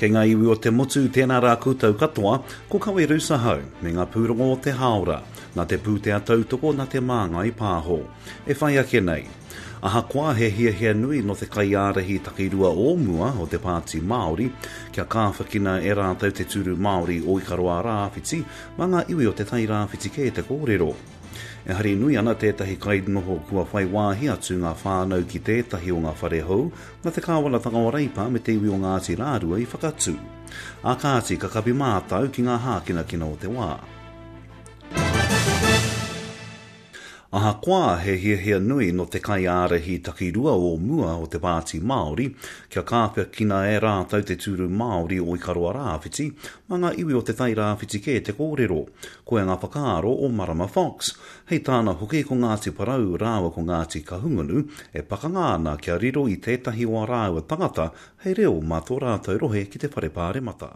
Kei ngā iwi o te motu, tēnā rā koutou katoa, ko Kawe Roos ahau, me ngā pūrongo o te hāora, nā te pūtea tautoko nā Te Māngai Pāho. E whai ake nei. Ahakoa he hiahia nui nō te kaiārahi takirua o mua o te Pāti Māori kia kāwhakina e rātou te tūru Māori o Ikaroa Rāwhiti, mā ngā iwi o Te Tai Rāwhiti kē te kōrero. E hari nui ana tētahi kainoho kua whai wāhi atu ngā whānau ki tētahi o ngā whare hou nā te kāwanatanga o Reipa me te iwi o Ngāti Rārua i whakatū. Ā kāti, ka kapi mātau ki ngā hākinakina o te wā. Ahakoa he hiahia nui nō te kaiārahi takirua o mua o te Pāti Māori kia kāwhakina e rātou te tūru Māori o Ikaroa Rāwhiti, mā ngā iwi o Te Tai Rāwhiti kē te kōrero. Koia ngā whakaaro o Marama Fox. Hei tāna hoki ko Ngāti Porou rāua ko Ngāti Kahungunu e pakanga ana kia riro i tētahi o ā rāua tangata hei reo mā tō rātou rohe ki te Whare Pāremata.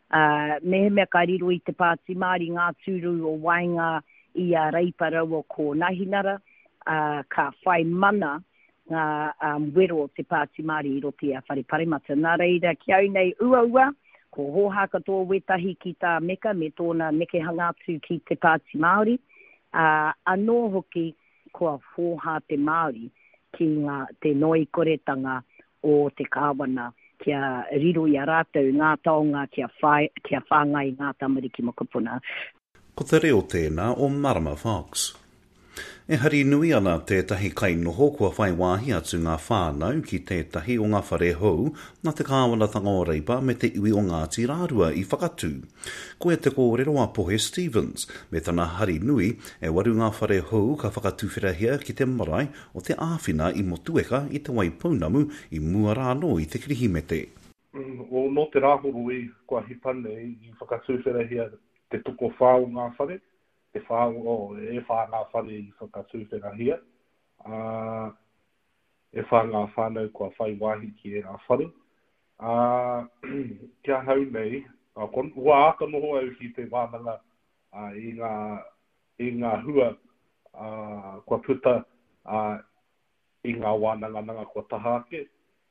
Ā, mehemea ka riro i te Pāti Māori ngā tūru o waenga i a Reipa raua ko Nahinara, ā, ka whai mana ngā wero o te Pāti Māori i roto i a Whare Paremata. Nā reira, ki au nei uaua, ko hōhā katoa wētahi ki tā Meka me tōna nekehanga atu ki te Pāti Māori, ā, anō hoki kua hōhā te Māori ki ngā, te noikoretanga o te Kāwana kia riro i a rātou ngā taonga kia whai, kia whāngai i ngā tamariki mokopuna. Ko te reo tēnā o Marama Fox. E hari nui ana tētahi kainoho kua whai wāhi atu ngā whānau ki tētahi o ngā whare hou nā te kāwanatanga o Reipa me te iwi o Ngāti Rārua i whakatū. Koia te kōrero a Pohe Stevens, me tana hari nui, e waru ngā whare hou ka whakatuwherahia ki te marae o te āwhina i Motueka i Te Waipounamu i mua rā anō i te Kirihimete. Nō te Rāhoroi kua hipa nei i whakatuwherahia te tokowhā o ngā whare, te whā, oh, e whā ngā whare i whakatuwherahia, ā, e whā ngā whānau kua whai wāhi ki ērā whare. Ā, ki ahau nei, kua āta noho au ki te wānanga i ngā, i ngā hua kua puta i ngā wānangananga kua taha ake,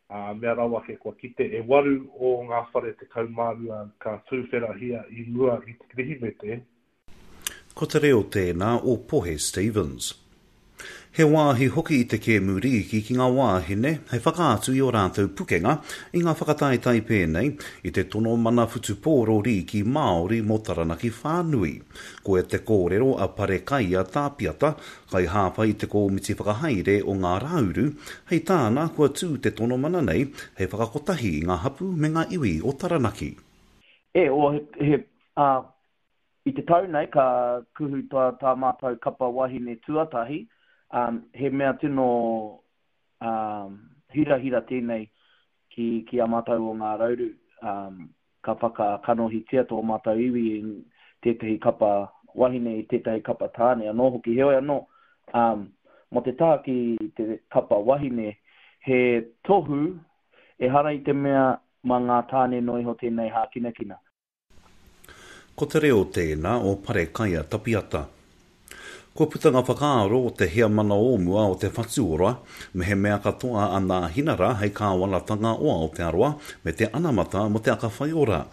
ā, mea rawa ake kua kite e waru o ngā whare 12 ka tūwherahia i mua i te Kirihimete. Ko te reo tēnā o Pohe Stevens. He wāhi hoki i te kēmu rīki ki ngā wāhine hei whakaatu i ō rātou pukenga i ngā whakataetae pēnei i te tono mana whutupōro rīki Māori mō Taranaki whānui. Koia te kōrero a Parekaia Tāpiata, kaihāpai i te kōmiti whakahaere o Ngā Rāuru, hei tāna kua tū te tono mana nei hei whakakotahi i ngā hapū me ngā iwi o Taranaki. E, o, he, he, ā, I te tau nei ka kuhu tā, tā mātou kapa wahine tuatahi, ā, he mea tino, ā, hirahira tēnei ki, ki a mātou o Ngā Rauru, ā, ka whakakanohitia tō mātou iwi i tētahi kapa wahine, i tētahi kapa tāne anō hoki. Heoi anō, ā, mō te taha ki te kapa wahine, he tohu ehara i te mea mā ngā tāne noa iho tēnei hākinakina. Ko te reo tēnā o Parekaia Tapiata. Kua puta ngā whakaaro o te heamana o mua o Te Whatu Ora, mehemea katoa a Nāhinara hei kāwanatanga o Aotearoa me te anamata mō Te Aka Whaiora.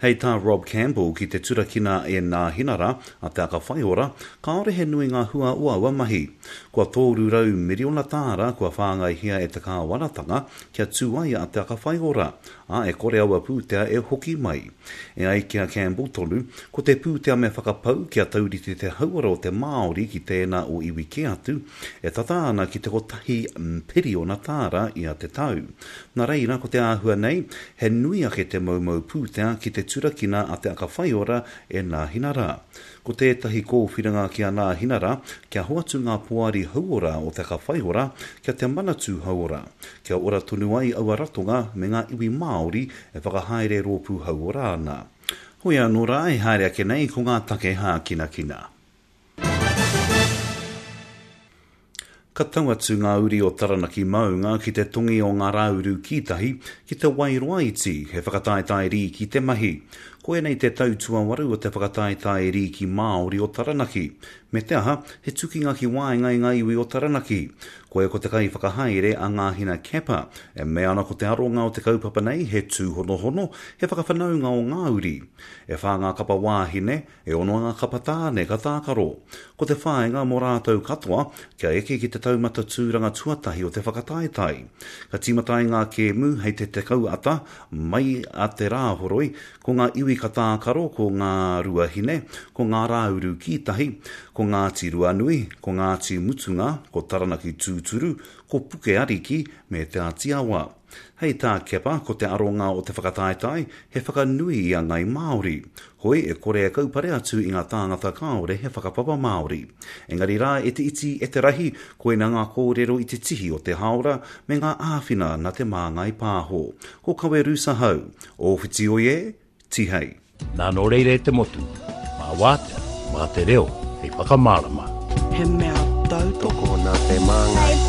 Hei tā Rob Campbell ki te turakina e Nāhinara a Te Aka Whaiora, kāore he nui ngā hua o aua mahi. Kua 300 miriona tāra kua whāngaihia e te kāwanatanga kia tū ai a Te Aka Whaiora, ā, e kore aua pūtea e hoki mai. E ai ki a Campbell tonu, ko te pūtea me whakapau kia taurite te hauora o te Māori ki tēnā o iwi kē atu, e tata ana ki te kotahi piriona tāra ia te tau. Nā reira, ko te āhua nei, he nui ake te moumou pūtea ki te turakina a Te Aka Whaiora e Nāhinara. Ko tētahi kōwhiringa ki a Nāhinara, kia hoatu ngā poari hauora o Te Aka Whaiora kia Te Manatū Hauora, kia ora tonu ai aua ratonga me ngā iwi Māori e whakahaere rōpū hauora ana. Hoi anō rā, e haere ake nei ko ngā take hākinakina. Ka tau atu ngā uri o Taranaki Maunga ki te tongi o Ngā Rāuru Kītahi, ki te Wairoa Iti, he whakataetae rīki te mahi. Koinei te tau tuawaru o te whakataetae rīki Māori o Taranaki. Me te aha, he tukinga ki waenga i ngā iwi o Taranaki. Koia ko te kaiwhakahaere a Ngāhina Kepa, e mea ana ko te aronga o te kaupapa nei he tūhonohono, he whakawhanaunga o ngā uri. E whā ngā kapa wāhine, e ono ngā kapa tāne ka tākaro. Ko te whāinga mō rātou katoa, kia eke ki te taumata tūranga tuatahi o te whakataetae. Ka tīmata ai ngā kēmu hei te 10 ata, mai a te Rāhoroi, ko ngā iwi ka tākaro ko Ngā Ruahine, ko Ngā Rāuru Kītahi, ko Ngāti Ruanui, ko Ngāti Mutunga, ko Taranaki Tūturu, ko Puke Ariki me Te Āti Awa. Hei tā Kepa, ko te aronga o te whakataetae, he whakanui i a Ngai Māori. Hoi, e kore e kaupare atu i ngā tāngata kāore he whakapapa Māori. Engari rā, e te iti, e te rahi, koina ngā kōrero i te tihi o te hāora me ngā āwhina nā Te Māngai Pāho. Ko Kawe Rusa Hau, Ōwhiti oi e, Tihei. Nā nō reira e te motu, mā wātea, mā te reo hei whakamārama. He mea tautoko. Tokona te māngai.